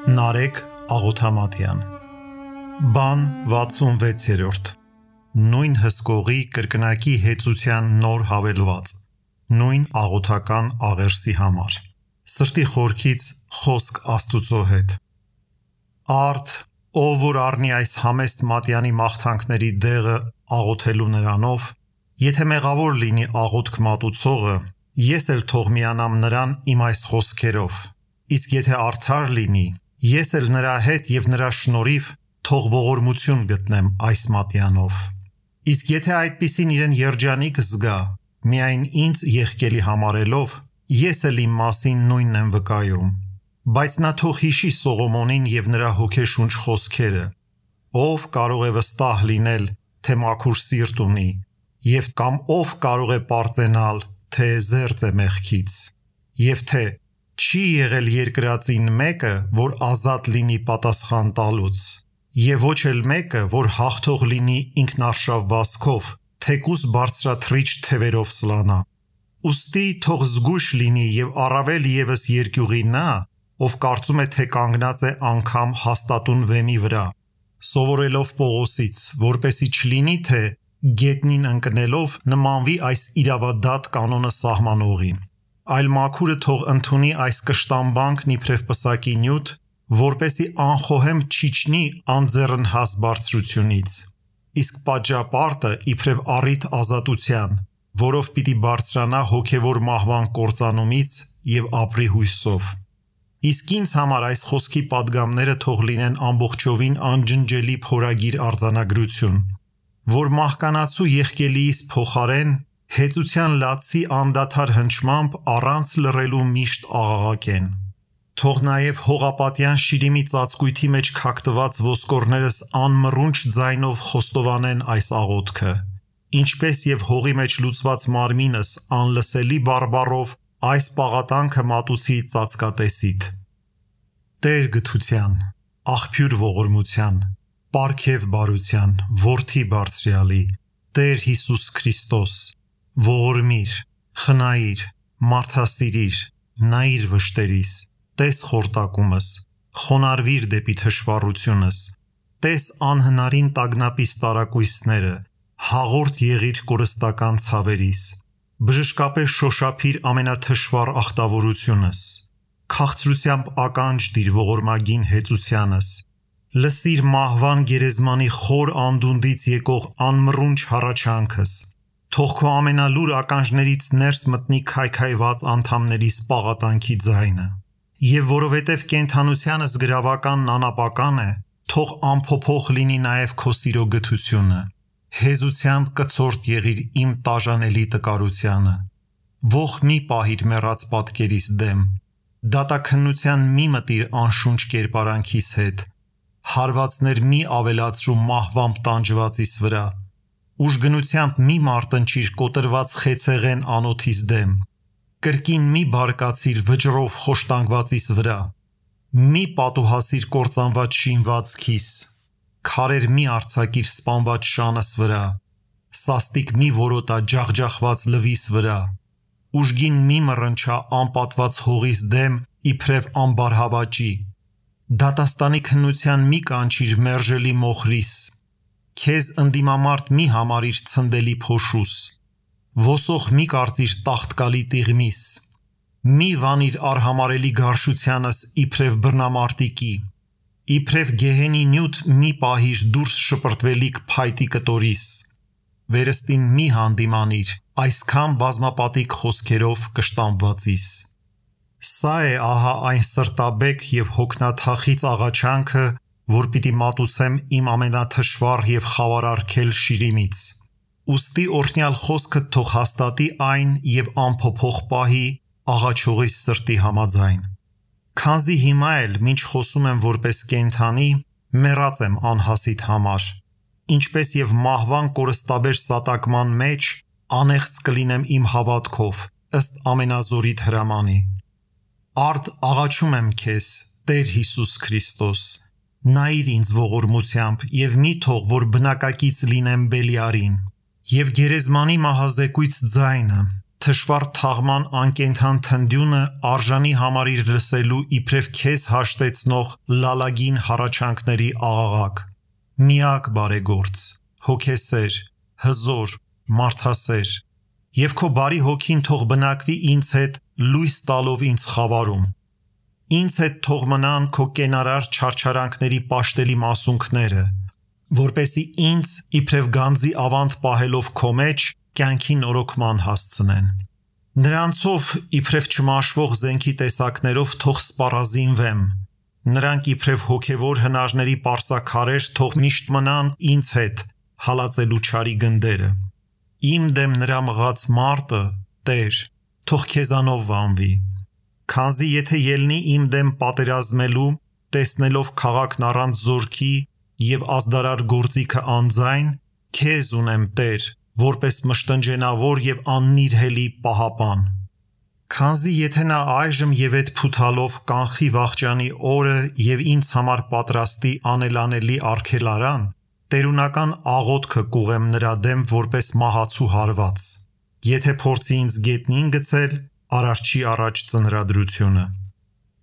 Նարեկ Աղոթամատյան Բան 66-րդ Նույն հսկողի կրկնակի հեծության նոր հավելված Նույն աղոթական աղերսի համար Սրտի խորքից խոսք Աստուծո հետ Արդ, ով որ առնի այս համեստ մատյանի մաղթանքների դեղը աղոթելու նրանով Եթե մեղավոր լինի աղոթք մատուցողը Ես էլ թող միանամ նրան իմ այս խոսքերով Իսկ եթե արդար լինի Ես էլ նրա հետ և նրա շնորհիվ թող ողորմություն գտնեմ այս մատյանով Իսկ եթե այդպիսին իրեն երջանիկ զգա Միայն ինձ եղկելի համարելով Ես էլ իմ մասին նույնն եմ վկայում Բայց նա թող հիշի Սողոմոնին և նրա հոգեշունչ խոսքերը Ով կարող է վստահ լինել, թե մաքուր սիրտ ունի Եվ կամ ով կարող է պարծենալ, թե զերծ է մեղքից Եվ թե չի եղել երկրածին մեկը, որ ազատ լինի պատասխան տալուց Եվ ոչ էլ մեկը, որ հաղթող լինի ինքնարշավ վազքով, թեկուզ բարձրաթռիչ թևերով սլանա Ուստի թող զգույշ լինի և առավել ևս երկյուղի նա, ով կարծում է, թե կանգնած է անգամ հաստատուն վեմի վրա Սովորելով Պողոսից, որպեսի չլինի, թե գետնին ընկնելով նմանվի այս իրավադատ կանոնը սահմանողին Այլ մաքուրը թող ընդունի այս կշտամբանքն իբրև պսակի նյութ, որպեսի անխոհեմ չիջնի անձեռնհաս բարձրությունից, իսկ պատժապարտը իբրև առիթ ազատության, որով պիտի բարձրանա հոգևոր մահվան կործանումից և ապրի հույսով։ Իսկ ինձ համար այս խոսքի պատգամները թող լինեն ամբողջովին անջնջելի փորագիր արձանագրություն, որ մահկանացու եղկելիիս փոխարեն Հեծության լացի անդադար հնչմամբ առանց լռելու միշտ աղաղակեն Թող նաև հողապատյան շիրիմի ծածկույթի մեջ քակտված ոսկորներս անմռունչ ձայնով խոստովանեն այս աղոթքը Ինչպես և հողի մեջ լուծված մարմինս անլսելի բարբառով այս պաղատանքը մատուցի ծածկատեսիդ Տեր գթության, աղբյուր ողորմության, պարգև բարության, որդի բարձրյալի, Տեր Հիսուս Քրիստոս Ողորմիր, խնայիր, մարդասիրիր, նայիր վշտերիս, տես խորտակումս, խոնարհվիր դեպի թշվառությունս, տես անհնարին տագնապիս տարակույսները, հաղորդ եղիր կորստական ցավերիս, բժշկապես շոշափիր ամենաթշվառ ախտավորությունս, քաղցրությամբ ականջ դիր ողորմագին հեծությանս, լսիր մահվան գերեզմանի խոր անդունդից եկող անմռունչ հառաչանքս, Թող քո ամենալուր ականջներից ներս մտնի քայքայված անդամներիս պաղատանքի ձայնը Եվ որովհետև կենդանությանս գրավականն անապական է Թող անփոփոխ լինի նաև քո սիրո գթությունը Հեզությամբ կցորդ եղիր իմ տաժանելի տկարությանը Ոխ մի պահիր մեռած պատկերիս դեմ Դատաքննության մի մտիր անշունչ կերպարանքիս հետ Հարվածներ մի ավելացրու մահվամբ տանջվածիս վրա Ուժգնությամբ մի մարտնչիր կոտրված խեցեղեն անոթիս դեմ Կրկին մի բարկացիր վճռով խոշտանգվածիս վրա Մի պատուհասիր կործանված շինվածքիս Քարեր մի արձակիր սպանված շանս վրա Սաստիկ մի որոտա ջախջախված լվիս վրա Ուժգին մի մռնչա անպատված հողիս դեմ իբրև ամբարհավաճի Դատաստանի քննության մի կանչիր մերժելի մոխրիս Քեզ ընդդիմամարտ մի համարիր ցնդելի փոշուս Ոսող մի կարծիր տախտկալի տիղմիս Մի վանիր արհամարելի գարշությանս իբրև բռնամարտիկի Իբրև գեհենի նյութ մի պահիր դուրս շպրտվելիք փայտի կտորիս Վերստին մի հանդիմանիր այսքան բազմապատիկ խոսքերով կշտամվածիս Սա է ահա այն սրտաբեկ և հոգնաթախիծ աղաչանքը որ պիտի մատուցեմ իմ ամենաթշվառ և խավարարգել շիրիմից Ուստի օրհնյալ խոսքը թող հաստատի այն և անփոփոխ պահի աղաչողիս սրտի համաձայն Քանզի հիմա էլ մինչ խոսում եմ որպես կենդանի մեռած եմ անհասիտ համար Ինչպես և մահվան կորստաբեր սատակման մեջ անեղծ կլինեմ իմ հավատքով ըստ ամենազորիտ հրամանի Արդ աղաչում եմ քեզ Տեր Հիսուս Քրիստոս Նայիր ինձ ողորմությամբ և մի թող որ բնակակից լինեմ Բելիարին Եվ գերեզմանի մահազեկույց ձայնը թշվառ թաղման անկենդան թնդյունը արժանի համարիր լսելու իբրև քեզ հաշտեցնող լալագին հառաչանքների աղաղակ, միակ բարեգործ, հոգեսեր, հզոր, մարդասեր, և քո բարի հոգին թող բնակվի ինձ հետ լույս տալով ինձ խավարում, ինձ հետ թող մնան քո կենարար չարչարանքների պաշտելի մասունքները, որպեսզի ինձ իբրև գանձի ավանդ պահելով քո մեջ կյանքի նորոգման հասցնեն։ Նրանցով իբրև չմաշվող զենքի տեսակներով թող սպառազինվեմ, նրանք իբրև հոգևոր հնարների պարսաքարեր թող միշտ մնան ինձ հետ հալածելու չարի գնդերը։ Իմ դեմ նրա մղած մարտը, Տեր, թող քեզանով վանվի, քանզի եթե ելնի իմ դեմ պատերազմելու, տեսնելով քաղաքն առանց զորքի և ազդարար գործիքը անձայն, քեզ ունեմ, Տեր, որպես մշտնջենավոր և աննիրհելի պահապան։ Քանզի եթե նա այժմ և էդ փութալով կանխի վախճանի օրը և ինձ համար պատրաստի անելանելի արգելարան, տերունական աղոթքը կուղեմ նրա դեմ որպես մահացու հարված, եթե փորձի ինձ գետնին գցել արարչի առաջ ծնրադրությունը։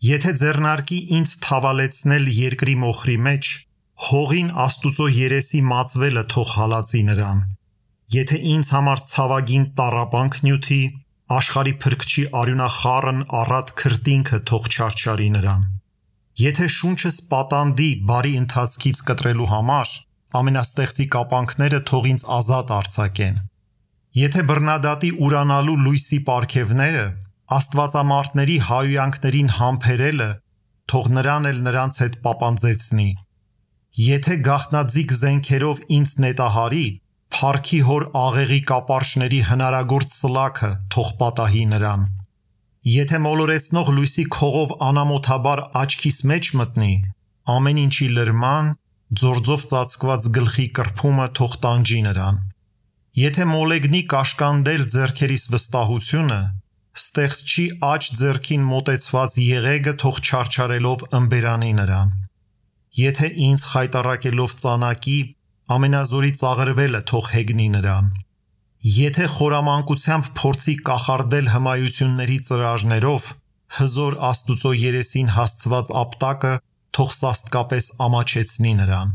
Եթե ձեռնարկի ինձ թավալեցնել երկրի մոխրի մեջ, հողին Աստուծո երեսի մածվելը թող հալածի նրան։ Եթե ինձ համար ցավագին տառապանք նյութի, աշխարհի փրկչի արյունախառն առատ քրտինքը թող չարչարի նրան։ Եթե շունչս պատանդի բարի ընթացքից կտրելու համար, ամենաստեղծի կապանքները թող ինձ ազատ արձակեն։ Եթե բռնադատի ուրանալու լույսի պարգևները, աստվածամարտների հայհոյանքներին համբերելը, թող նրան էլ նրանց հետ պապանձեցնի։ Եթե գաղտնաձիգ զենքերով ինձ նետահարի, փառքի հոր աղեղի կապարշների հնարագործ սլաքը թող պատահի նրան։ Եթե մոլորեցնող լույսի քողով անամոթաբար աչքիս մեջ մտնի, ամեն ինչի լրման, ձորձով ծածկված գլխի կրփումը թող տանջի նրան։ Եթե մոլեգնի կաշկանդել ձեռքերիս վստահությունը, ստեղծչի աջ ձեռքին մոտեցված եղեգը թող չարչարելով ըմբերանի նրան։ Եթե ինձ խայտառակելով ծանակի, ամենազորի ծաղրվելը թող հեգնի նրան։ Եթե խորամանկությամբ փորձի կախարդել հմայությունների ծրարներով, հզոր Աստուծո երեսին հասցված ապտակը թող սաստկապես ամաչեցնի նրան։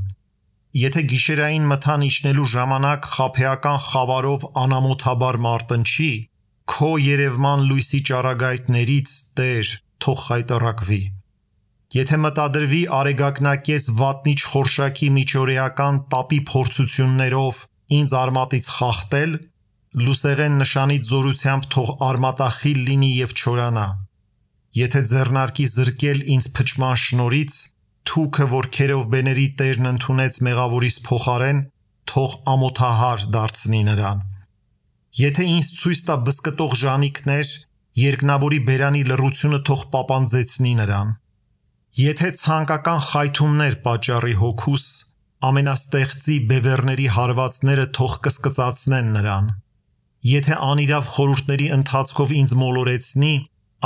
Եթե գիշերային մթան իջնելու ժամանակ խաբեական խավարով անամոթաբար մարտնչի, քո երևման լույսի ճառագայթներից, Տեր, թող խայտառակվի։ Եթե մտադրվի արեգակնակես վատնիչ խորշակի միջօրեական տապի փորձություններով ինձ արմատից խախտել, լուսեղեն նշանից զորությամբ թող արմատախիլ լինի և չորանա։ Եթե ձեռնարկի զրկել ինձ փչման շնորից, թուքը, որ քերովբեների Տերն ընդունեց մեղավորիս փոխարեն, թող ամոթահար դարձնի նրան։ Եթե ինձ ցույց տա բզկտող ժանիքներ, երկնավորի բերանի լռությունը թող պապանձեցնի նրան։ Եթե ցանկական խայթումներ պատճառի հոգուս, ամենաստեղծի բևեռների հարվածները թող կսկծացնեն նրան։ Եթե անիրավ խորհուրդների ընթացքով ինձ մոլորեցնի,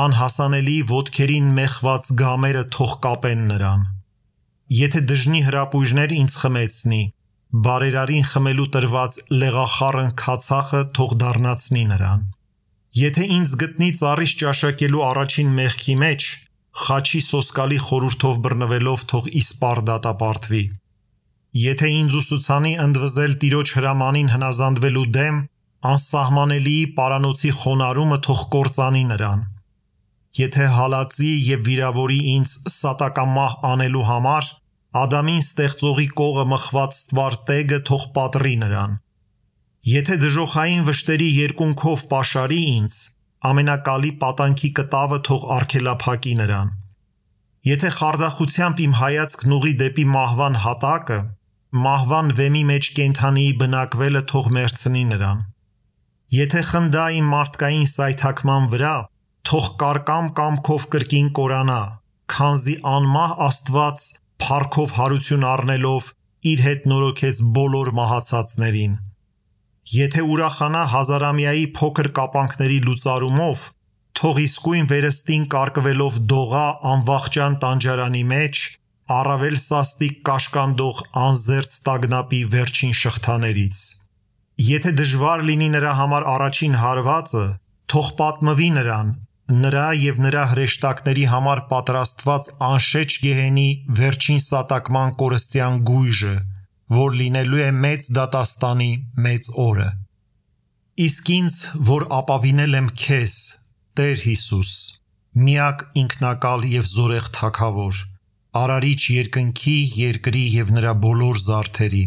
անհասանելի ոտքերին մեխված գամերը թող կապեն նրան։ Եթե դժնի հրապույրներ ինձ խմեցնի, բարերարին խմելու տրված լեղախառն քացախը թող դառնացնի նրան։ Եթե ինձ գտնի ծառից ճաշակելու առաջին մեղքի մեջ, խաչի սոսկալի խորհուրդով բռնվելով թող իսպառ դատապարտվի։ Եթե ինձ ուսուցանի ընդվզել Տիրոջ հրամանին հնազանդվելու դեմ, անսահմանելիի պարանոցի խոնարհումը թող կործանի նրան։ Եթե հալածի և վիրավորի ինձ սատակամահ անելու համար, Ադամին ստեղծողի կողը մխված ստվար տեգը թող պատռի նրան։ Եթե դժոխային վշտերի երկունքով պաշարի ինձ, ամենակալի պատանքի կտավը թող արգելափակի նրան։ Եթե խարդախությամբ իմ հայացքն ուղղի դեպի մահվան հատակը, մահվան վեմի մեջ կենդանիի բնակվելը թող մերձնի նրան։ Եթե խնդա իմ մարդկային սայթաքման վրա, թող կարկամ կամքով կրկին կորանա, քանզի անմահ Աստված փառքով հարություն առնելով իր հետ նորոգեց բոլոր մահացածներին։ Եթե ուրախանա հազարամյայի փոքր կապանքների լուծարումով, թող իսկույն վերստին կարկվելով դողա անվախճան տանջարանի մեջ, առավել սաստիկ կաշկանդող անզերծ տագնապի վերջին շղթաներից։ Եթե դժվար լինի նրա համար առաջին հարվածը, Թող պատմվի նրան, նրա և նրա հրեշտակների համար պատրաստված անշեջ գեհենի վերջին սատակման կորստյան գույժը, որ լինելու է մեծ դատաստանի մեծ օրը։ Իսկ ինձ, որ ապավինել եմ քեզ, Տեր Հիսուս, միակ ինքնակալ և զորեղ Թագավոր, Արարիչ երկնքի, երկրի և նրա բոլոր զարդերի,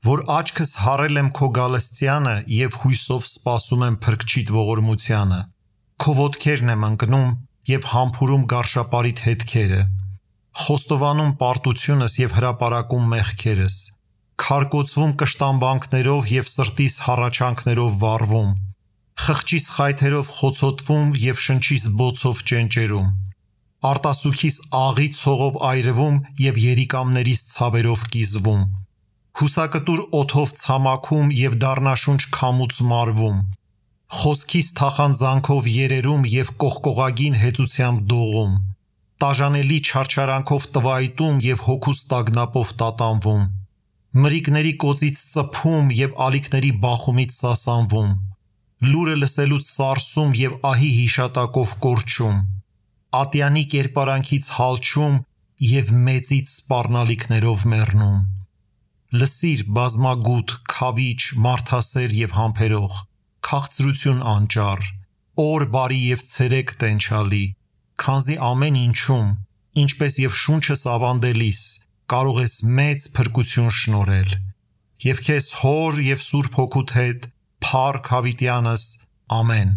որ աչքս հառել եմ քո գալստյանը և հույսով սպասում եմ Փրկչիդ ողորմությանը, քո ոտքերն եմ ընկնում և համբուրում գարշապարիդ հետքերը, խոստովանում պարտությունս և հրապարակում մեղքերս, քարկոծվում կշտամբանքներով և սրտիս հառաչանքներով վառվում, խղճիս խայթերով խոցոտվում և շնչիս բոցով ճենճերում, արտասուքիս աղի ցողով այրվում և երիկամներիս ցավերով կիզվում, հուսակտուր օդով ցամաքում և դառնաշունչ քամուց մարվում, խոսքիս թախանձանքով երերում և կողկողագին հեծությամբ դողում, տաժանելի չարչարանքով տվայտում և հոգուս տագնապով տատանվում, մրիկների կոծից ծփում և ալիքների բախումից սասանվում, լուրը լսելուց սարսում և ահի հիշատակով կորչում, ատյանի կերպարանքից հալչում և մեծից սպառնալիքներով մեռնում։ Լսիր, բազմագութ, քավիչ, մարդասեր և համբերող, քաղցրություն անճառ, օր բարի և ցերեկ տենչալի, քանզի ամեն ինչում, ինչպես և շունչս ավանդելիս, կարող ես մեծ փրկություն շնորհել։ Եվ քեզ Հոր և Սուրբ Հոգուդ հետ, փառք հավիտյանս, ամեն։